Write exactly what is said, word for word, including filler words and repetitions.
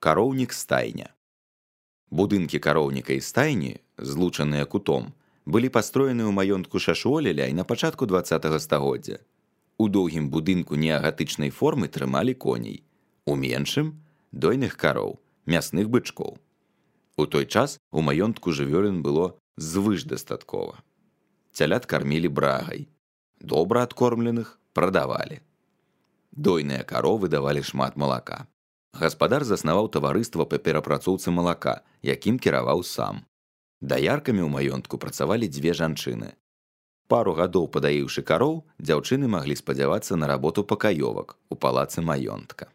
Кароўнік стайня. Будынкі кароўніка і стайні, злучаныя кутом, былі пастроены ў маёнтку Шашуолеля і на пачатку дваццатага стагоддзя. У доўгім будынку неагатычнай формы трымалі коней, у меншым дойных кароў, мясных бычкоў. У той час у маёнтку жывёлін было звышдастаткова. Цялят кармілі брагай, добра адкормленых прадавалі. Дойныя каровы давалі шмат малака. Гаспадар заснаваў таварыства па перапрацоўцы малака, якім кіраваў сам. Даяркамі ў маёнтку працавалі дзве жанчыны. Пару гадоў падаіўшы кароў, дзяўчыны маглі спадзявацца на работу пакаёвак у палацы маёнтка.